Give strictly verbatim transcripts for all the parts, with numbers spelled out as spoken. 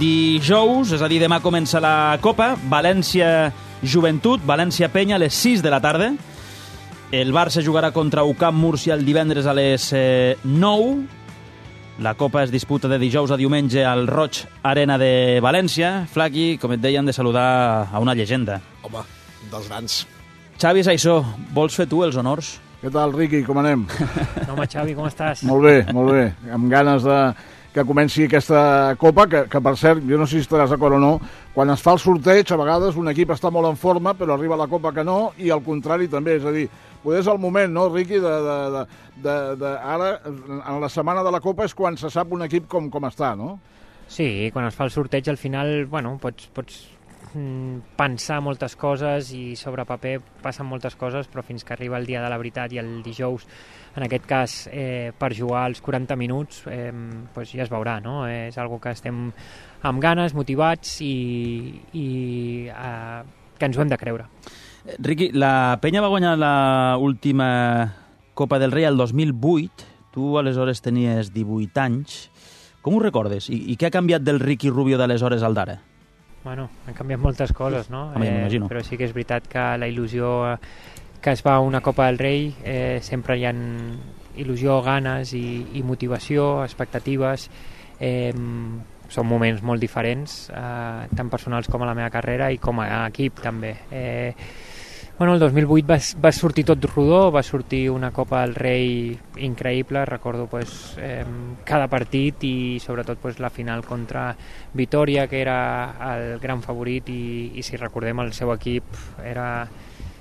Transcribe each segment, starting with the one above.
Dijous, és a dir, demà comença la Copa, València Joventut, València Penya a les sis de la tarda. El Barça jugarà contra U C A M Múrcia el divendres a les eh, nou. La Copa es disputa de dijous a diumenge al Roig Arena de València. Flaqui, com et deien, de saludar a una llegenda. Home, dels grans. Xavi Saissó, vols fer tu els honors? Què tal, Riqui? Com anem? Home, Xavi, com estàs? Molt bé, molt bé. Amb ganes de que comenci aquesta Copa, que, que per cert, jo no sé si estaràs d'acord o no, quan es fa el sorteig, a vegades un equip està molt en forma, però arriba la Copa que no, i al contrari també, és a dir, potser és el moment, no, Riqui, de, de, de, de, de ara, en la setmana de la Copa és quan se sap un equip com, com està, no? Sí, quan es fa el sorteig, al final, bueno, pots, pots pensar moltes coses i sobre paper passen moltes coses, però fins que arriba el dia de la veritat i el dijous, en aquest cas, eh, per jugar als quaranta minuts, eh, pues ja es veurà, no? És algo que estem amb ganes, motivats i, i eh, que ens ho hem de creure. Riqui, la Penya va guanyar l'última Copa del Rei el dos mil vuit, tu aleshores tenies divuit anys. Com ho recordes? I, i què ha canviat del Riqui Rubio d'aleshores al d'ara? Bueno, han canviat moltes coses, no? Home, ja m'imagino. Eh, però sí que és veritat que la il·lusió que es va a una Copa del Rei, eh, sempre hi ha il·lusió, ganes i, i motivació, expectatives. Eh, són moments molt diferents, eh, tant personals com a la meva carrera i com a equip també. Eh, bueno, el dos mil vuit va, va sortir tot rodó, va sortir una Copa del Rei increïble, recordo pues, eh, cada partit i sobretot pues, la final contra Vitòria, que era el gran favorit i, i si recordem el seu equip era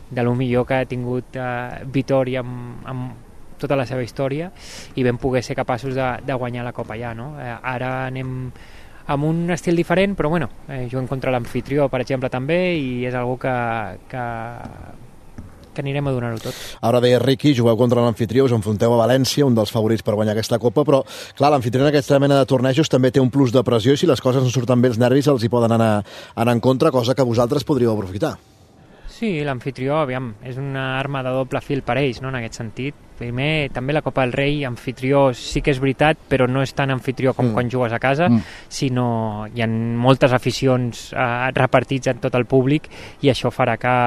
de lo millor que ha tingut eh, Vitòria amb, amb tota la seva història i vam poder ser capaços de, de guanyar la Copa ja, no? Eh, ara anem amb un estil diferent, però bueno, eh, juguem contra l'amfitrió, per exemple, també, i és algo que, que, que anirem a donar-ho tot. Ara deia Riqui, jugueu contra l'amfitrió, us enfronteu a València, un dels favorits per guanyar aquesta Copa, però clar, l'amfitrió en aquesta mena de tornejos també té un plus de pressió i si les coses no surten bé els nervis els hi poden anar, anar en contra, cosa que vosaltres podríeu aprofitar. Sí, l'amfitrió, aviam, és una arma de doble fil per ells, no?, en aquest sentit. Primer, també la Copa del Rei, amfitrió sí que és veritat, però no és tan amfitrió com mm. quan jugues a casa, mm. sinó hi ha moltes aficions eh, repartits en tot el públic i això farà que,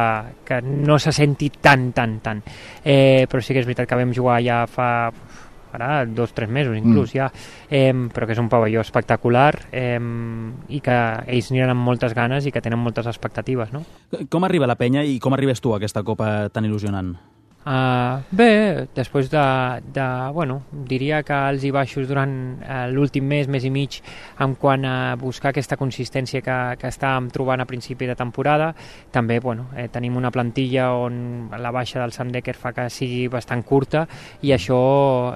que no se senti tan, tan, tan. Eh, però sí que és veritat que vam jugar ja fa... ara dos o tres mesos inclús mm. ja, eh, però que és un pavelló espectacular eh, i que ells aniran amb moltes ganes i que tenen moltes expectatives, no? Com arriba la Penya i com arribes tu a aquesta Copa tan il·lusionant? Uh, bé, després de, de, bueno, diria que els i baixos durant uh, l'últim mes, mes i mig, en quant a buscar aquesta consistència que, que estàvem trobant a principi de temporada. També, bueno, eh, tenim una plantilla on la baixa del Sam Dekker fa que sigui bastant curta i això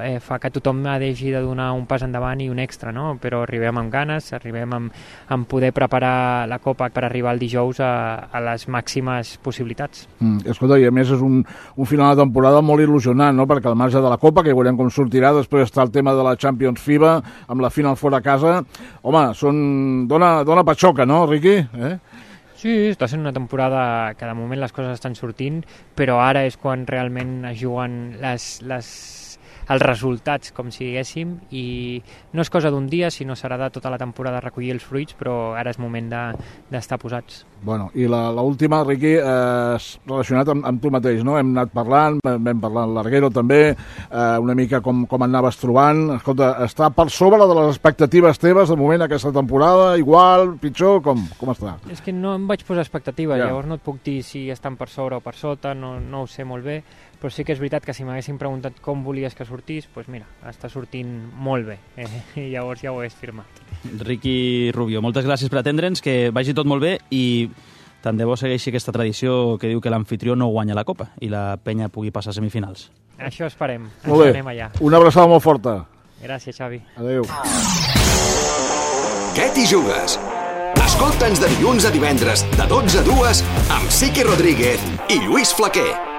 eh, fa que tothom hagi de donar un pas endavant i un extra, no? Però arribem amb ganes, arribem amb, amb poder preparar la Copa per arribar el dijous a, a les màximes possibilitats. Mm, escolta, i a més és un, un final temporada molt il·lusionant, no? Perquè al marge de la Copa, que veurem com sortirà, després està el tema de la Champions FIBA, amb la final fora a casa. Home, són... dona, dona patxoca, no, Riqui? Eh? Sí, està sent una temporada que de moment les coses estan sortint, però ara és quan realment es juguen les, les, els resultats, com si diguéssim, i no és cosa d'un dia, sinó serà de tota la temporada recollir els fruits, però ara és moment d'estar de, posats. Bueno, i l'última, Riqui, eh, relacionat amb, amb tu mateix, no? Hem anat parlant, vam parlar amb l'Arguero també, eh, una mica com, com anaves trobant. Escolta, està per sobre de les expectatives teves de moment aquesta temporada, igual, pitjor, com, com està? És que no em vaig posar expectativa, ja. Llavors no et puc dir si estan per sobre o per sota, no, no ho sé molt bé, però sí que és veritat que si m'haguessin preguntat com volies que sortís, doncs mira, està sortint molt bé, eh? I llavors ja ho hagués firmat. Riqui Rubio, moltes gràcies per atendre'ns, que vagi tot molt bé i tant de bo segueixi aquesta tradició que diu que l'amfitrió no guanya la Copa i la Penya pugui passar a semifinals. Això esperem, molt bé. Anem allà. Una abraçada molt forta. Gràcies, Xavi. Adéu. Què t'hi jugues? Escolta'ns de dilluns a divendres, de dotze a dues, amb Siqui Rodríguez i Lluís Flaquer.